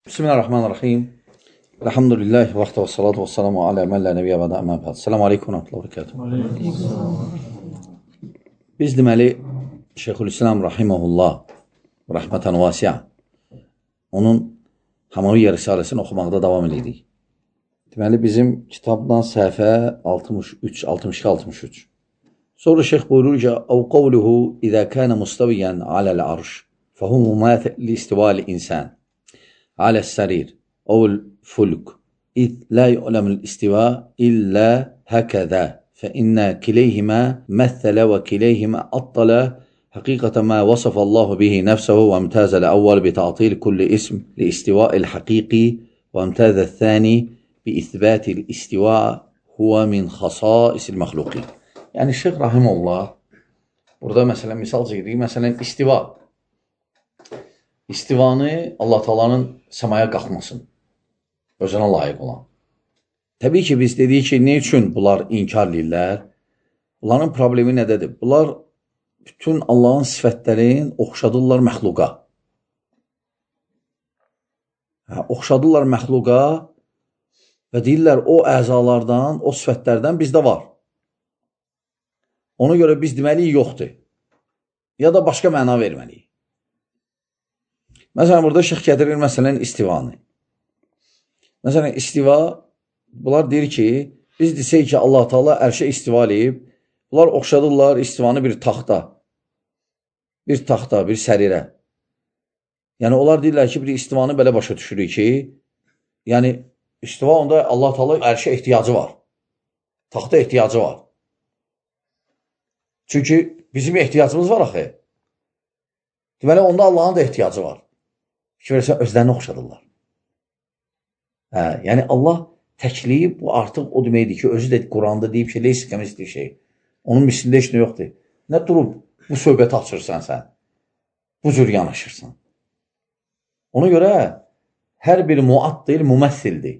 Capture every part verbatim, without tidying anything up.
Bismillahirrahmanirrahim. Elhamdülillahi və və salatu və salamu alə mən lə nəbiyyə və də əmə bəd. Selamu aleykum və rəhmətullah. Biz deməli, Şeyxülislam Rahiməhullah rəhmətən vasiyə onun Hamaviyyə Risaləsini oxumaqda davam edirik. Deməli, bizim kitabdan səhifə altmış üç, altmış iki, altmış üç. Sonra şeyx buyurur ki, Əv qavluhu İzə kənə mustaviyyən aləl arş fəhum müməthil istivali insan على السرير أو الفلك إذ لا يعلم الاستواء إلا هكذا فإن كليهما مثل وكليهما أطل حقيقة ما وصف الله به نفسه وامتاز الأول بتعطيل كل اسم لاستواء الحقيقي وامتاز الثاني بإثبات الاستواء هو من خصائص المخلوقين. يعني الشيخ رحمه الله burada mesela misal çekirik. Mesela istiva. İstivanı Allah Taala'nın səmaya qalxmasın, özünə layiq olan. Təbii ki, biz dedik ki, ne üçün bunlar inkar edirlər? Bunların problemi nədədir? Bunlar bütün Allahın sifətlərin oxşadırlar məxluqa. Hə, oxşadırlar məxluqa və deyirlər o əzalardan, o sifətlərdən bizdə var. Ona görə biz deməliyik yoxdur. Ya da başqa məna verməliyik. Məsələn, burada şeyx gətirir, məsələn, istivanı. Məsələn, istiva, bunlar deyir ki, biz desək ki, Allah Taala ərşə istiva eləyib, bunlar oxşadırlar istivanı bir taxta, bir taxta, bir sərirə. Yəni, onlar deyirlər ki, bir istivanı belə başa düşürük ki, yəni, istiva onda Allah Taala ərşə ehtiyacı var, taxta ehtiyacı var. Çünki bizim ehtiyacımız var axı. Deməli, onda Allahın da ehtiyacı var. Ki, verəsən, özlərini oxşadırlar. Hə, yəni, Allah təkliyib, bu artıq o deməkdir ki, özü də Quranda deyib ki, leysi kəmisli şey. Onun mislində heç nə yoxdur. Nə durub bu söhbəti açırsan sən? Bu cür yanaşırsan. Ona görə hər bir muaddil müməssildir.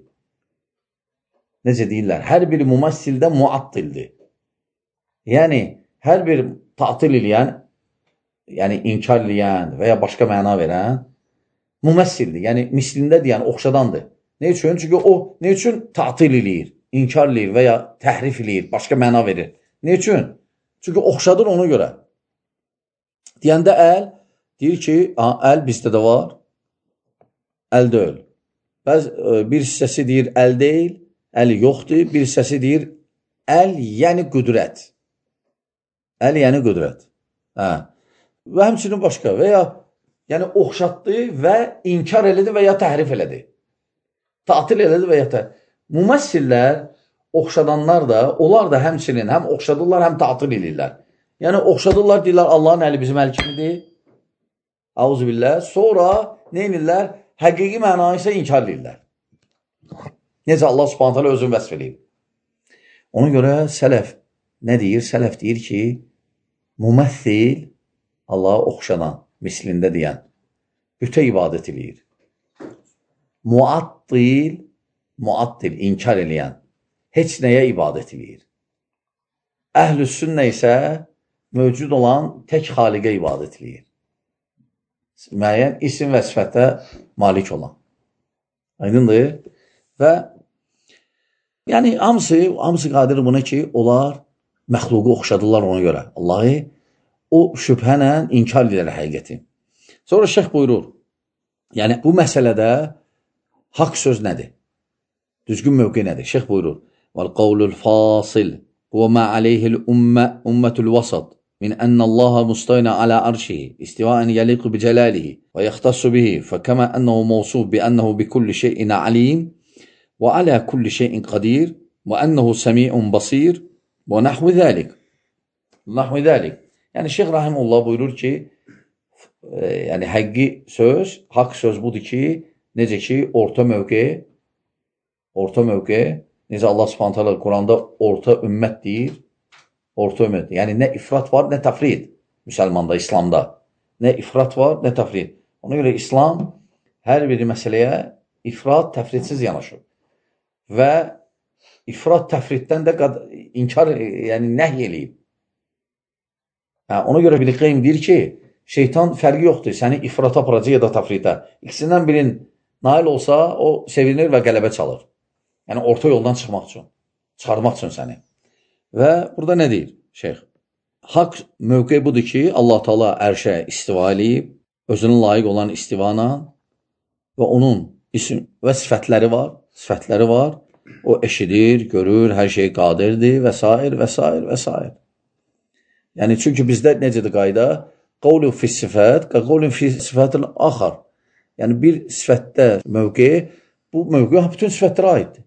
Necə deyirlər? Hər bir müməssildə muaddildir. Yəni, hər bir tatil eləyən, yəni inkar eləyən və ya başqa məna verən müməssildir. Yəni, mislindədir, yəni oxşadandır. Ne üçün? Çünki o, ne üçün tatil eləyir, inkar eləyir və ya təhrif eləyir, başqa məna verir. Ne üçün? Çünki oxşadır ona görə. Deyəndə əl, deyir ki, əl bizdə də var, əl deyil. Bəzi, bir hissəsi deyir, əl deyil, əli yoxdur, bir hissəsi deyir, əl yəni qüdrət. Əl yəni qüdrət. Hə. Və həmçinin başqa və ya yəni oxşatdı və inkar elədi və ya təhrif elədi. Tatil elədi və ya təhrif. Müməssillər, oxşadanlar da, onlar da həmçinin həm oxşadırlar, həm tatil edirlər. Yəni oxşadırlar, deyirlər, Allahın əli bizim əl kimidir. Auzubillah. Sonra nə edirlər? Həqiqi mənayı isə inkar edirlər. Necə Allah Subhanahu taala özünü vəsf eləyib. Ona görə sələf nə deyir? Sələf deyir ki, müməssil Allah'a oxşadan, mislində deyən, bütə ibadət eləyir. Muaddil, muaddil, inkar eləyən, heç nəyə ibadət eləyir. Əhl-i sünnə isə mövcud olan tək xaliqə ibadət eləyir. Müəyyən isim və sifətə malik olan. Aydındır? Və yəni, hamısı, hamısı qadir buna ki, onlar məxluqu oxşadırlar ona görə. Allahı o şübhənə inkar edir həqiqəti. Sonra şeyx buyurur, yəni bu məsələdə haqq söz nədir? Düzgün mövqe nədir? Şeyx buyurur, vəl-qavlul fasil huvə mə aleyhil ümmətul vasat min ənəllaha mustayna alə arşihi istivən yəliqu bi cəlalihi və yəxtassu bihi fəkəmə ənəhu mavsuf bi ənəhu bi kulli şeyin alim və alə kulli şeyin qadir və ənəhu səmi'un basir və nəhvi zəlik. Nəhvi zəlik. Yəni, Şeyx Rahimullah buyurur ki, e, yəni, həqqi söz, haqq söz budur ki, necə ki, orta mövqe, orta mövqe, necə Allah Subhanahu taala Quranda orta ümmət deyir, orta ümmət. Yəni, nə ifrat var, nə təfrid müsəlmanda, İslamda. Nə ifrat var, nə təfrid. Ona görə İslam hər bir məsələyə ifrat, təfridsiz yanaşır. Və ifrat, təfriddən də inkar, yəni nəhy eləyib. Hə, ona görə bir qeym deyir ki, şeytan fərqi yoxdur, səni ifrata aparacaq ya da tafrita. İkisindən birin nail olsa, o sevinir və qələbə çalır. Yəni, orta yoldan çıxmaq üçün, çıxarmaq üçün səni. Və burada nə deyir şeyx? Haqq mövqe budur ki, Allah Taala ərşə istiva eləyib, özünün layiq olan istivana və onun isim və sifətləri var, sifətləri var. O eşidir, görür, hər şey qadirdir və s. və s. və s. Yəni, çünki bizdə necədir qayda? Qavlu fi sifət, qavlu fi sifətin axar. Yəni, bir sifətdə mövqe, bu mövqe bütün sifətlərə aiddir.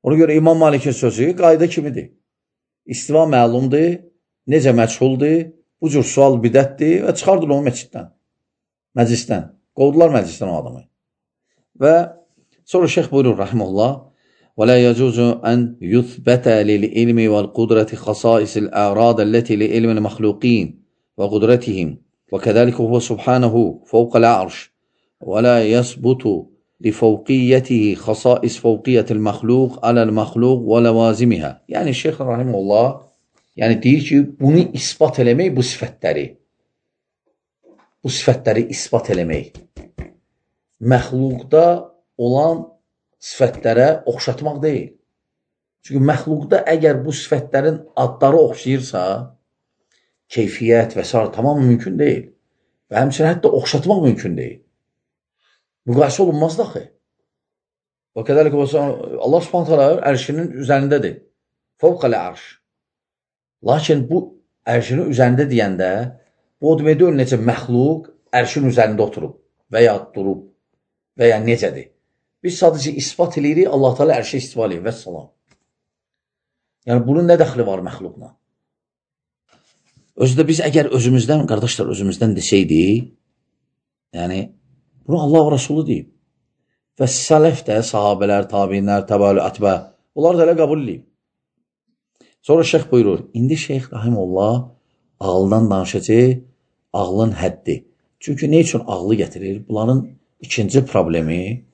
Ona görə İmam Malikin sözü qayda kimidir. İstiva məlumdur, necə məchuldur, bu cür sual bidətdir və çıxardır onu məsciddən, məclisdən. Qovdular məclisdən o adamı. Və sonra şeyx buyurur, rahimullah, وَلَا يَجُوزُ أَنْ يُثْبَتَ لِلْعِلْمِ وَالْقُدْرَةِ خَصَائِصِ الْأَعْرَاضَ الَّتِي لِعِلْمِ الْمَخْلُوقِينَ وَقُدْرَتِهِمْ وَكَذَلِكَ هُوَ سُبْحَانَهُ فَوْقَ الْعَرْشِ وَلَا يَثْبُتُ لِفَوْقِيَّتِهِ خَصَائِص فَوْقِيَّةِ الْمَخْلُوقِ عَلَى الْمَخْلُوقِ وَلَوَازِمِهَا. Yəni şeyx rahimullah, yəni deyir ki, bunu isbat eləmək bu sifətləri, bu sifətləri isbat eləmək, məxluqda olan sifətlərə oxşatmaq deyil. Çünki məxluqda əgər bu sifətlərin adları oxşayırsa, keyfiyyət və s. tamam mümkün deyil. Və həmçinin hətta oxşatmaq mümkün deyil. Müqayisə olunmaz daxı. Və qədəlik Allah Subhanahu taala ərşinin üzərindədir. Fəvqəl ərş. Lakin bu ərşinin üzərində deyəndə, bu o demək deyil, necə məxluq ərşin üzərində oturub və ya durub və ya necədir. Biz sadəcə ispat edirik, Allah Teala ərşə istiva eləyir və salam. Yəni, bunun nə dəxli var məxluqla? Özü də biz əgər özümüzdən, qardaşlar, özümüzdən desəydik, yəni, bunu Allah və Rasulü deyib. Və sələf də, sahabələr, tabinlər, təbəli, ətbə, onlar da elə qəbul edib. Sonra şeyx buyurur, indi şeyx rahimullah ağıldan danışacaq, ağlın həddi. Çünki nə üçün ağlı gətirir? Bunların ikinci problemi,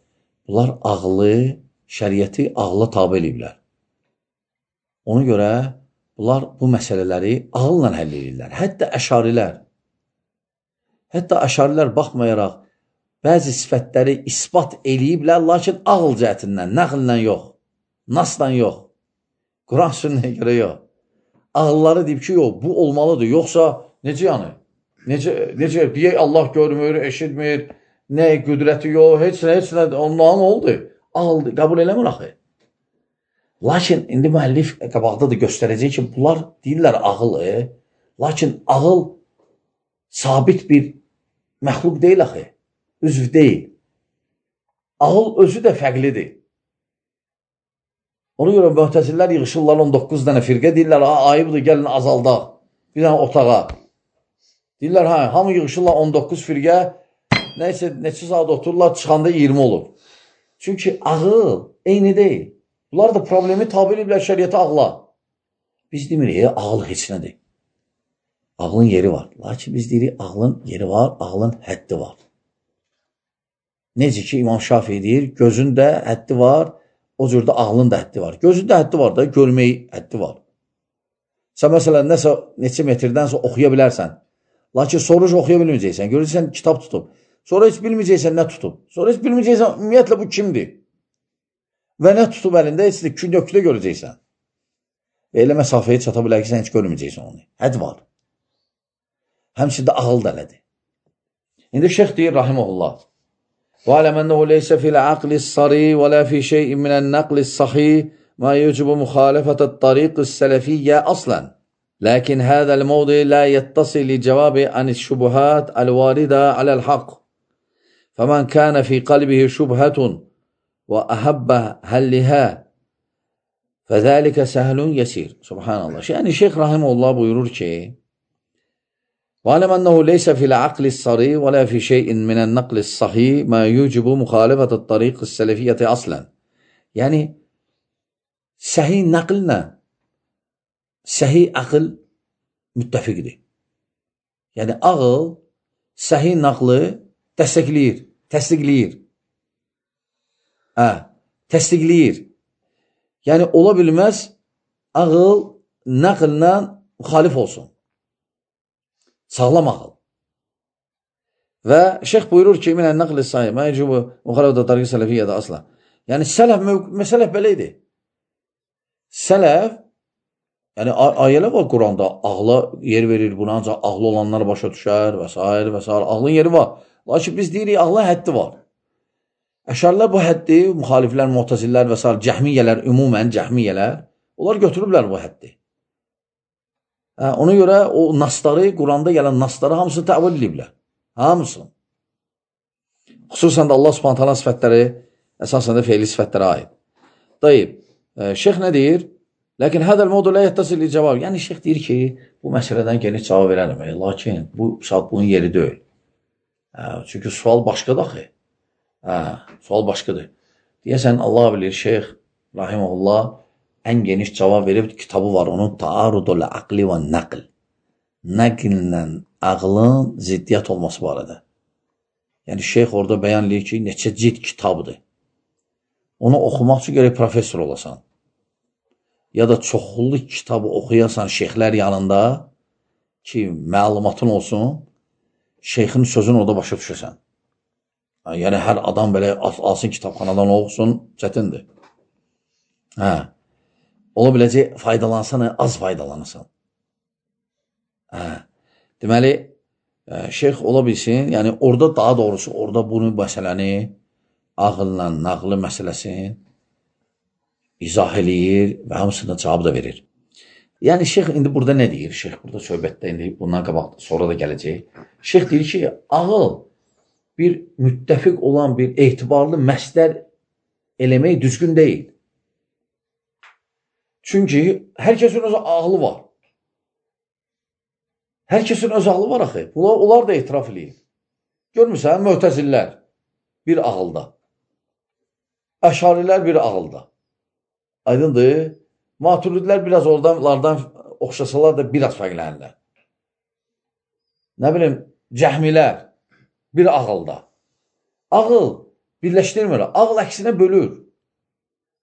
bunlar ağlı, şəriəti ağla tabi eləyiblər. Ona görə bunlar bu məsələləri ağılla həll edirlər. Hətta əşarilər, hətta əşarilər baxmayaraq bəzi sifətləri isbat eləyiblər, lakin ağıl cəhətindən, nəqllə yox, nasla yox, Quran sünnəyə görə yox. Ağılları deyib ki, yox, bu olmalıdır, yoxsa necə yəni? Necə, necə, deyək Allah görmür, eşitmir, nə qüdrəti yox, heç nə, heç nə, ondan oldu. Ağıl, qəbul eləmir axı. Lakin indi müəllif qabaqda da göstərəcək ki, bunlar deyirlər ağılı, lakin ağıl sabit bir məxluq deyil axı, üzv deyil. Ağıl özü də fərqlidir. Ona görə mühtəzillər yığışırlar on doqquz dənə firqə, deyirlər, ayıbdır, gəlin azaldaq, bir dənə otağa. Deyirlər, hə, hamı yığışırlar on doqquz firqə, nəysə, neçə saat otururlar, çıxanda iyirmi olur. Çünki ağıl eyni deyil. Bunlar da problemi tabi ediblər şəriyyətə ağla. Biz demirik, ağıl heç nədir. Ağlın yeri var. Lakin biz deyirik, ağlın yeri var, ağlın həddi var. Necə ki, İmam Şafii deyir, gözün də həddi var, o cürdə ağlın da həddi var. Gözün də həddi var da, görmək həddi var. Sən məsələn, nəsə, neçə metirdənsə oxuya bilərsən. Lakin soruş oxuya bilməyəcəksən. Görürsən, kitab tutub. Sonra heç bilməyəcəksən, nə tutub. Sonra heç bilməyəcəksən, ümumiyyətlə, bu kimdir? Və nə tutub əlində, heç də kündöküdə görəcəksən. Və elə məsafəyə çata bilər ki, sən heç görməyəcəksən onu. Həd var. Həmçində ağıl da elədir. İndi şeyx deyir, rahiməhullah. وَعَلَمْ أَنَّهُ لَيْسَ فِي الْعَقْلِ الصَّرِي وَلَا فِي شَيْءٍ مِنَ النَّقْلِ الصَّحِيحِ مَا يُوجِبُ مُخَالَفَةَ الطَّرِيقِ السَّلَفِيَّةِ أَصْلًا لكن هذا الموضع لا يتصل لجواب عن الشبهات الواردة على الحق فمن كان في قلبه شبهة وأحب حلها فذلك سهل يسير. Subhanallah. Yani Şeyh Rahimullah buyurur ki وَعَلَمْ أَنَّهُ لَيْسَ فِي الْعَقْلِ الصَّرِي وَلَا فِي شَيْءٍ مِنَ النَّقْلِ الصَّحِيحِ مَا يُوجِبُ مُخَالَفَةَ الطَّرِيقِ السَّلَفِيَّةِ أَصْلًا. Yəni səhih nəqllə səhih aql müttəfiqdir. Yəni ağıl səhih naqlı dəstəkləyir, təsdiqləyir. Hə, təsdiqləyir. Yəni ola bilməz ağıl naqllə müxalif olsun. Sağlam ağıl. Və şeyx buyurur ki, minən nəqli sayı, mə yəcubu müxalifdə tariqi sələfiyyədə asla. Yəni, sələf, məsələf belə idi. Sələf, yəni ayələ var Quranda, ağla yer verir, buna ancaq ağlı olanlar başa düşər və s. və s. Ağlın yeri var. Lakin biz deyirik, ağlın həddi var. Əşarilər bu həddi, müxaliflər, muhtəzillər və s. cəhmiyyələr, ümumən cəhmiyyələr, onlar götürüblər bu həddi. Hə, ona görə o nasları, Quranda gələn nasları hamısını təvil ediblər. Hamısını. Xüsusən də Allah Subhanahu taala sifətləri əsasən də fe'li sifətlərə aid. Dayıb, şeyx nə deyir? Lakin hədəl mövdu la yettasil cavab. Yəni şeyx deyir ki, bu məsələdən geniş cavab verərəm. Lakin bu saat bunun yeri deyil. Hə, çünki sual başqadır axı. Hə, sual başqadır. Deyəsən Allah bilir, şeyx rahimehullah ən geniş cavab verib kitabı var. Onun Taarudul Aqli və Naql. Nəqllə ağlın ziddiyyət olması barədə. Yəni, şeyx orada bəyan edir ki, neçə cidd kitabdır. Onu oxumaq üçün gərək professor olasan. Ya da çoxlu kitabı oxuyasan şeyxlər yanında ki, məlumatın olsun, şeyxin sözünü orada başa düşəsən. Yəni, hər adam belə alsın kitabxanadan oxusun, çətindir. Hə, ola biləcək, faydalansan, az faydalanırsan. Hə, deməli, şeyx ola bilsin, yəni orada daha doğrusu, orada bunu məsələni, ağılla, nağlı məsələsini izah eləyir və hamısına cavab da verir. Yəni, şeyx indi burada nə deyir? Şeyx burada söhbətdə, indi bundan qabaq, sonra da gələcək. Şeyx deyir ki, ağıl bir müttəfiq olan bir etibarlı məsdər eləmək düzgün deyil. Çünki hər kəsin öz ağlı var. Hər kəsin öz ağlı var axı. Onlar, onlar da etiraf eləyir. Görmürsən, möhtəzillər bir ağılda. Əşarilər bir ağılda. Aydındır. Maturidlər biraz oradan oxşasalar da biraz fərqlənirlər. Nə bilim, cəhmilər bir ağılda. Ağıl birləşdirmir. Ağıl əksinə bölür.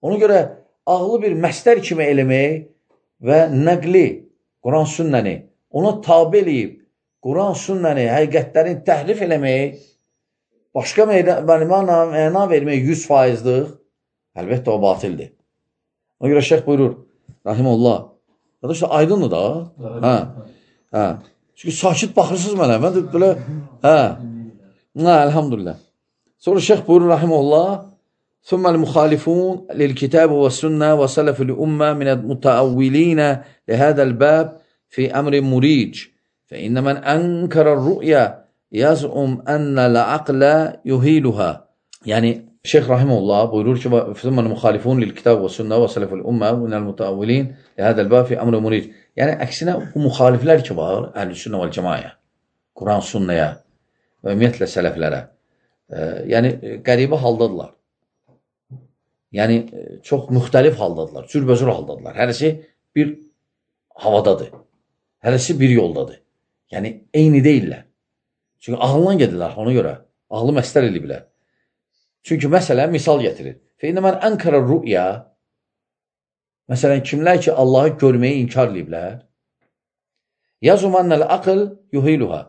Ona görə ağlı bir məsdər kimi eləmək və nəqli, Quran sünnəni ona tabi eləyib, Quran sünnəni, həqiqətlərin təhrif eləmək, başqa məna vermək yüz faizlik, əlbəttə o batildir. Ona görə şeyx buyurur, rahimullah, qardaşlar, aydındır da, hə, hə, çünki sakit baxırsınız mənə, mən də belə, hə, hə, elhamdülillah. Sonra şeyx buyurur, rahimullah, ثم المخالفون للكتاب والسنة وسلف الأمة من المتأولين لهذا الباب في أمر مريج فإن من أنكر الرؤيا يزعم أن العقل يهيلها. Yani Şeyh Rahimullah buyurur ki ثم المخالفون للكتاب والسنة وسلف الأمة من المتأولين لهذا الباب في أمر مريج. Yani əksinə bu müxaliflər ki var, əhl-i sünnə vəl cəmayə, Quran sünnəyə və ümumiyyətlə sələflərə, yəni qəribə haldadırlar. Yəni, çox müxtəlif haldadırlar, cürbözür haldadırlar. Hərəsi bir havadadır, hərəsi bir yoldadır. Yəni, eyni deyirlər. Çünki ağıllan gedirlər ona görə. Ağlı məstər ediblər. Çünki məsələn, misal getirir. Fəinə mən ənkərə rü'ya, məsələn, kimlər ki, Allahı görməyi inkar ediblər, yazumannəl aql yuhiluha.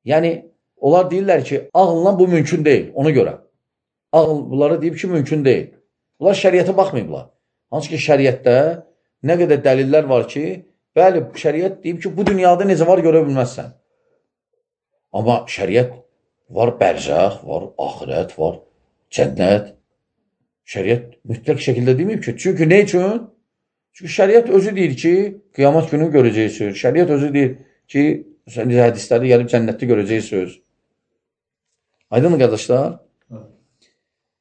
Yəni, onlar deyirlər ki, ağılla bu mümkün deyil, ona görə. Ağıl bunlara deyib ki, mümkün deyil. Bunlar şəriətə baxmayıblar. Hansı ki, şəriətdə nə qədər dəlillər var ki, bəli, şəriət deyib ki, bu dünyada necə var görə bilməzsən. Amma şəriət var bərzəx, var axirət, var cənnət. Şəriət mütləq şəkildə deməyib ki, çünki nə üçün? Çünki şəriət özü deyir ki, qiyamət günü görəcəksiniz. Şəriət özü deyir ki, hədislərdə gəlib cənnətdə görəcəksiniz. Aydın mı, qardaşlar?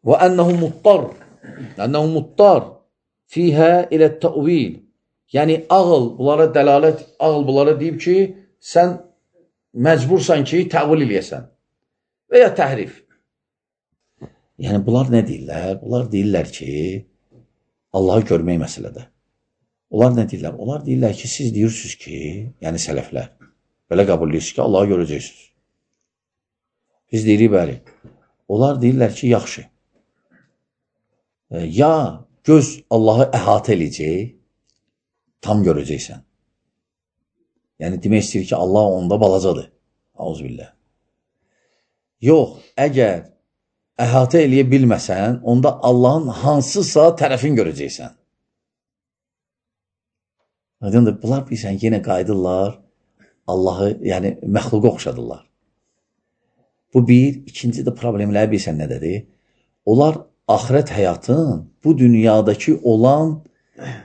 Və ənəhu muttar. Ənəhu muttar fiyhə ilə təvil. Yəni, ağıl bunlara dəlalət, ağıl bunlara deyib ki, sən məcbursan ki, təvil eləyəsən və ya təhrif. Yəni, bunlar nə deyirlər? Bunlar deyirlər ki, Allahı görmək məsələdə. Onlar nə deyirlər? Onlar deyirlər ki, siz deyirsiniz ki, yəni sələflər, belə qəbul edirsiniz ki, Allahı görəcəksiniz. Biz deyirik, bəli. Onlar deyirlər ki, yaxşı. Ya göz Allahı əhatə eləyəcək, tam görəcəksən. Yəni, demək istəyir ki, Allah onda balacadır. Auzubillah. Yox, əgər əhatə eləyə bilməsən, onda Allahın hansısa tərəfin görəcəksən. Aydındır, bunlar bilsən, yenə qayıdırlar, Allahı, yəni məxluqa oxşadırlar. Bu bir, ikinci də problemləri bilsən nədədir? Onlar axirət həyatın bu dünyadakı olan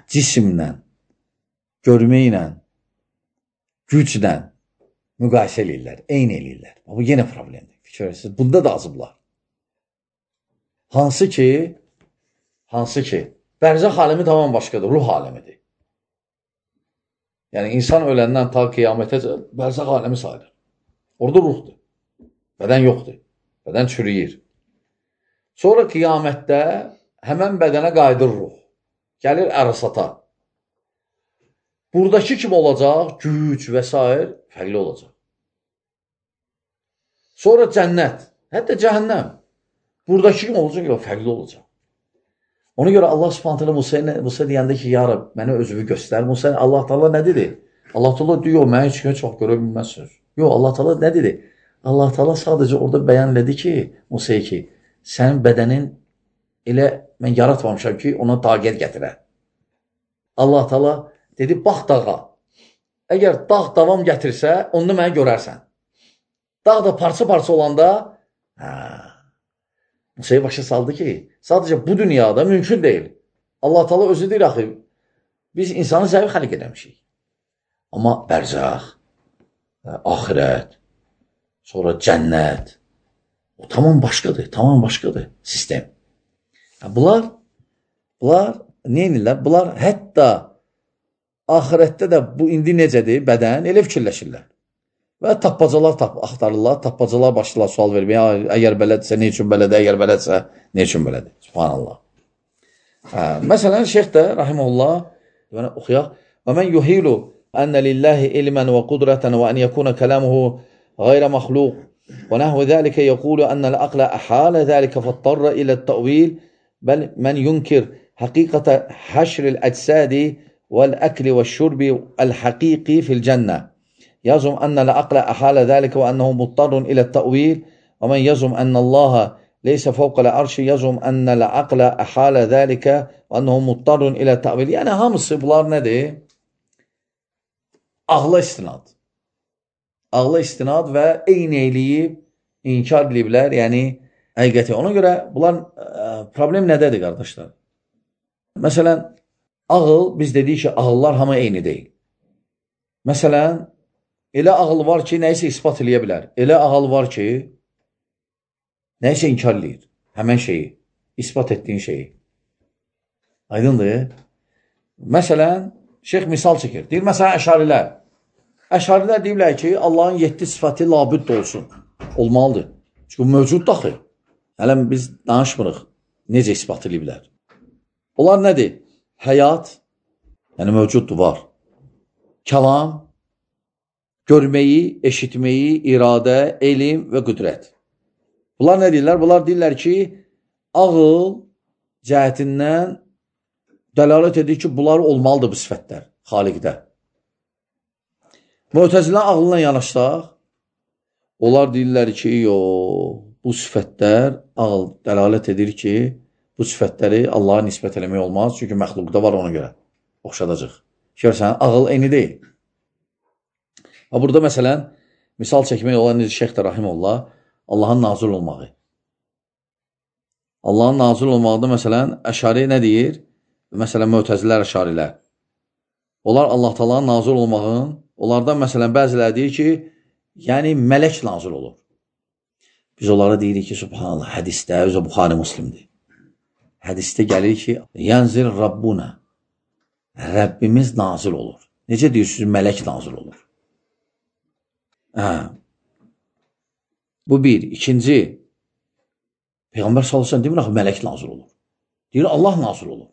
cisimlə, görməklə, güclə müqayisə eləyirlər, eyni eləyirlər. Bu yenə problemdir. Fikir verirsiniz, bunda da azıblar. Hansı ki, hansı ki, bərzəx alemi tamam başqadır, ruh alemidir. Yəni, insan öləndən ta qiyamətə bərzəx alemi sayılır. Orada ruhdur. Bədən yoxdur. Bədən çürüyür. Sonra qiyamətdə həmən bədənə qayıdır ruh. Gəlir ərasata. Buradakı kim olacaq? Güc və s. fərqli olacaq. Sonra cənnət, hətta cəhənnəm. Buradakı kim olacaq? Yox, fərqli olacaq. Ona görə Allah Subhanahu taala Musaya, Musa deyəndə ki, ya Rab, mənə özünü göstər. Musa, Allah Taala nə dedi? Allah Taala deyir, mən heç kimi çox görə bilməzsiniz. Yox, Allah Taala nə dedi? Allah Taala sadəcə orada bəyan elədi ki, Musaya ki, sənin bədənin elə mən yaratmamışam ki, ona taqət gətirə. Allah Taala dedi, bax dağa. Əgər dağ davam gətirsə, onda mənə görərsən. Dağ da parça-parça olanda, hə, Musaya başa saldı ki, sadəcə bu dünyada mümkün deyil. Allah Taala özü deyir, axı, biz insanı zəif xəliq edəmişik. Amma bərzəx, axirət, sonra cənnət, o tamam başqadır, tamam başqadır sistem. Bunlar, bunlar nə edirlər? Bunlar hətta axirətdə də bu indi necədir bədən, elə fikirləşirlər. Və tappacalar tap axtarırlar, tappacalar başlayırlar sual verməyə. Əgər belədirsə, nə üçün belədir? Əgər belədirsə, nə üçün belədir? Subhanallah. Hə, məsələn, şeyx də, rahiməhullah, yəni, oxuyaq. Və mən yuhilu ənə lillahi ilmən və qudrətən və ən yəkuna kələmuhu qeyrə məxluq və nəhvə zəlikə yəqulu ənəl əqlə əhələ zəlikə fəttarra ilə təvil bəl mən yunkir həqiqətə həşril əcsədi vəl-əkli və şurbi əl-həqiqi fil-cənnə. يزعم أن العقل أحال ذلك وأنه مضطر إلى التأويل ومن يزعم أن الله ليس فوق العرش يزعم أن العقل أحال ذلك وأنه مضطر إلى التأويل. Yəni hamısı bunlar nədir? Ağla istinad. Ağla istinad və eyni eləyib, inkar ediblər, yəni həqiqəti. Ona görə bunlar problem nədədir, qardaşlar? Məsələn, ağıl, biz dedik ki, ağıllar hamı eyni deyil. Məsələn, elə ağıl var ki, nəyisə ispat eləyə bilər. Elə ağıl var ki, nəyisə inkar eləyir. Həmən şeyi, ispat etdiyin şeyi. Aydındır. Məsələn, şeyx misal çəkir. Deyir, məsələn, əşarilər. Əşarilər deyirlər ki, Allahın yeddi sifəti labüdd olsun. Olmalıdır. Çünki mövcud daxil. Hələ biz danışmırıq. Necə ispat eləyiblər? Onlar nədir? Həyat, yəni mövcuddur, var. Kəlam, görməyi, eşitməyi, iradə, elm və qüdrət. Bunlar nə deyirlər? Bunlar deyirlər ki, ağıl cəhətindən dəlalət edir ki, bunlar olmalıdır bu sifətlər xaliqdə. Mu'təzilə ağlına yanaşsaq, onlar deyirlər ki, yox, bu sifətlər ağıl dəlalət edir ki, bu sifətləri Allaha nisbət eləmək olmaz, çünki məxluqda var ona görə. Oxşadacaq. Görsən, ağıl eyni deyil. Burada məsələn, misal çəkmək olan necə Şeyx də Rahimullah, Allahın nazil olmağı. Allahın nazil olmaqda məsələn, əşari nə deyir? Məsələn, Mu'təzilər, əşarilər. Onlar Allah Taala'nın nazil olmağın, onlardan məsələn, bəziləri deyir ki, yəni mələk nazil olur. Biz onlara deyirik ki, subhanallah, hədisdə, özü Buxari Müslimdir. Hədisdə gəlir ki, yənzil Rabbuna, Rəbbimiz nazil olur. Necə deyirsiniz, mələk nazil olur? Hə. Bu bir. İkinci, Peyğəmbər sallallahu əleyhi və səlləm demir, axı, mələk nazil olur. Deyir, Allah nazil olur.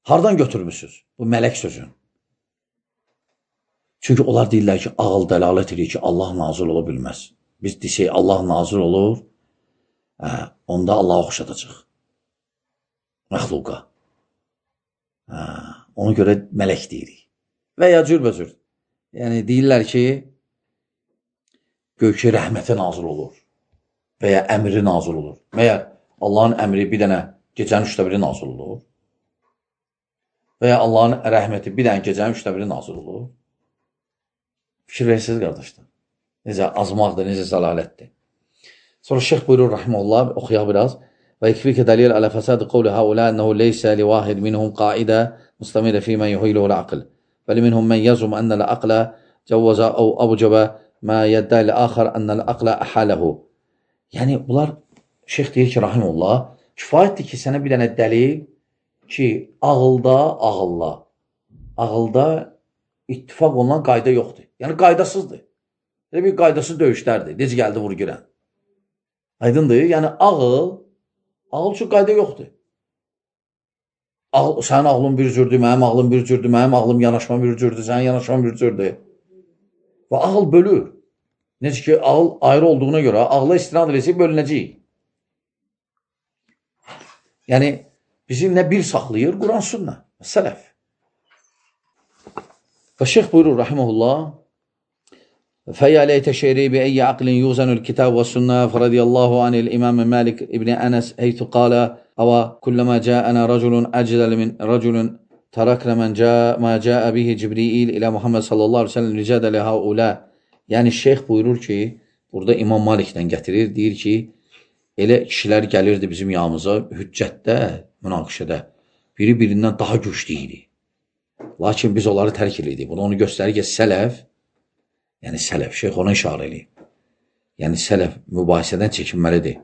Hardan götürmüşsünüz bu mələk sözün? Çünki onlar deyirlər ki, ağıl dəlalət edir ki, Allah nazil ola bilməz. Biz desək, Allah nazil olur, hə, onda Allah'a oxşadacaq. Məxluqa. Hə, ona görə mələk deyirik. Və ya cürbəcür. Yəni, deyirlər ki, göy ki, rəhmətə nazil olur. və ya əmri nazil olur. Məyər Allahın əmri bir dənə gecənin üçdə biri nazil olur. Və ya Allahın rəhməti bir dənə gecənin üçdə biri nazil olur. Fikir verirsiniz, qardaşlar. Necə azmaqdır, necə zəlalətdir. Sonra şeyx buyurur, rahimullah, oxuyaq biraz. Və ikfikə dəlil alə fəsədi qovli haula ənəhu leysə li vahid minhum qaidə müstəmirə fi mən yuhiluhu l-aql. Bəli minhum mən yazum ənəl aqlə cəvvəzə əv abucəbə mə yəddəli axar ənəl aqlə əhələhu. Yəni, bunlar, şeyx deyir ki, rahimullah, kifayətdir ki, sənə bir dənə dəlil ki, ağılda, ağılla, ağılda ittifaq olunan qayda yoxdur. Yəni, qaydasızdır. Elə bir qaydasız döyüşlərdir. Necə gəldi vur girən. Aydındır. Yəni, ağıl, ağıl üçün qayda yoxdur. Ağıl, sənin ağlın bir cürdür, mənim ağlım bir cürdür, mənim ağlım yanaşma bir cürdür, sənin yanaşma bir cürdür. Və ağıl bölür. Necə ki, ağıl ayrı olduğuna görə, ağla istinad edəcək, bölünəcək. Yəni, bizi nə bir saxlayır? Quran sünnə, sələf. Və şeyx buyurur, rahiməhullah, فَيَا لَيْتَ شَيْرِي بِأَيِّ عَقْلٍ يُوزَنُ الْكِتَابُ وَالسُّنَّةِ فَرَضِيَ اللَّهُ عَنِ الْإِمَامِ مَالِكِ ابْنِ أَنَسَ حَيْثُ قَالَ أَوَ كُلَّمَا جَاءَنَا رَجُلٌ أَجْدَلَ مِنْ رَجُلٍ تَرَكْنَا مَنْ جَاءَ مَا جَاءَ بِهِ جِبْرِيلِ إِلَى مُحَمَّدٍ sallallahu əleyhi və səlləm ricədə ləhəulə. Yəni, şeyx buyurur ki, burada İmam Malikdən gətirir, deyir ki, elə kişilər gəlirdi bizim yanımıza hüccətdə, münaqişədə. Biri birindən daha güclü idi. Lakin biz onları tərk edirdik. Bunu onu göstərir ki, sələf, yəni sələf, şeyx ona işarə edir. Yəni sələf mübahisədən çəkinməlidir.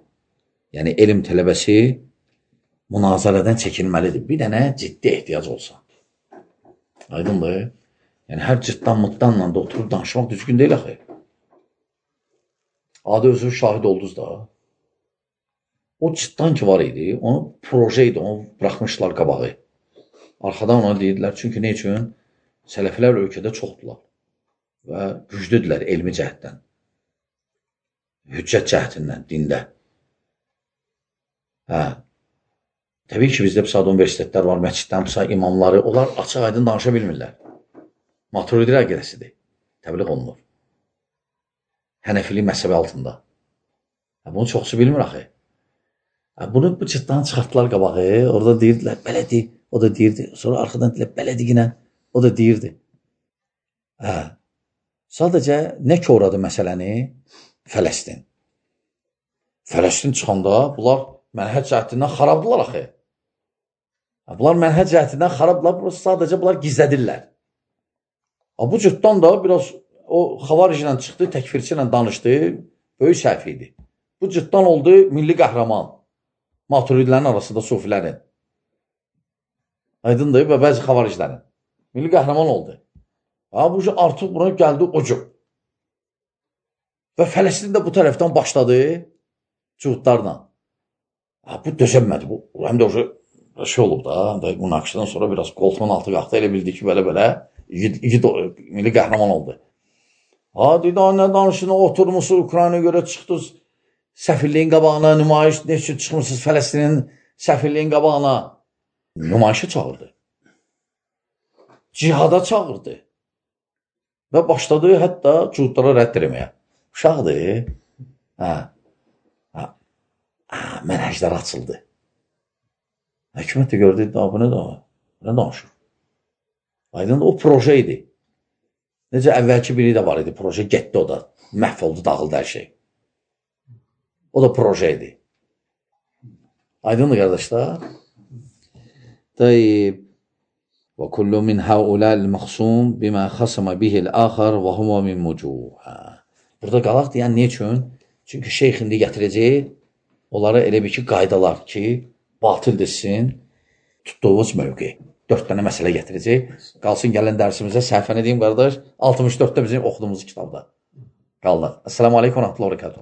Yəni elm tələbəsi münazərədən çəkinməlidir. Bir dənə ciddi ehtiyac olsa. Aydındır. Yəni hər cıtdan mıtdanla da oturub danışmaq düzgün deyil axı. Adı özü şahid oldunuz da. O cıtdan ki var idi, onu proje idi, onu bıraxmışlar qabağı. Arxadan ona deyirdilər, çünki ne üçün? Sələflər ölkədə çoxdular və güclüdülər elmi cəhətdən, hüccət cəhətindən, dində. Hə. Təbii ki, bizdə psad universitetlər var, məsciddən psad imamları, onlar açıq aydın danışa bilmirlər. Maturidi əqidəsidir, təbliğ olunur. Hənəfili məhzəbi altında. Hə, bunu çoxsu bilmir axı. Hə, bunu bu cıtdan çıxartdılar qabağı, orada deyirdilər, belədi, o da deyirdi. Sonra arxadan deyirlər, belədi yine, o da deyirdi. Hə. Sadəcə nə ki oradı məsələni? Fələstin. Fələstin çıxanda bunlar mənhəc cəhətindən xarabdılar axı. Bunlar mənhəc cəhətindən xarabdılar, sadəcə bunlar gizlədirlər. Bu cütdan da biraz o xavaric ilə çıxdı, təkfirçi ilə danışdı, böyük səhv idi. Bu cütdan oldu milli qəhrəman. Maturidilərin arasında sufilərin. Aydındır və bəzi xavariclərin. Milli qəhrəman oldu. Ha, bu artıq buna gəldi ucu. Və Fələstin də bu tərəfdən başladı cuhudlarla. Ha, bu dözəmədi. Bu, həm də o şey olub da, həm də münaqişədən sonra biraz qoltuğun altı qalxdı, elə bildi ki, belə-belə igid milli qəhrəman oldu. Ha, dedi, nə danışına oturmuşsunuz, Ukraynaya görə çıxdınız, səfirliyin qabağına, nümayiş, ne üçün çıxmışsınız Fələstinin səfirliyin qabağına? Nümayişə çağırdı. Cihada çağırdı. Və başladı hətta cuhudlara rədd eləməyə. Uşaqdır. Hə. Hə. Mənhəclər açıldı. Hökumət də gördü, bu nə danışır? Nə danışır? Aydın, o proje idi. Necə əvvəlki biri də var idi, proje getdi o da. Məhv oldu, dağıldı hər şey. O da proje idi. Aydındır, qardaşlar. Tayyib. Və kullu min haulal məxsum bimə xasama bihil axar və huma min mucuh. Burada qalaq deyən ne üçün? Çünki şeyx indi gətirəcək onlara elə bir ki, qaydalar ki, batıl desin, tutduğumuz mövqe. Dörd dənə məsələ gətirəcək. Qalsın gələn dərsimizə səhifəni deyim, qardaş, altmış dörddə bizim oxuduğumuz kitabda. Qaldıq. Əssalamu aleykum və rəhmətullah və bərəkatuhu.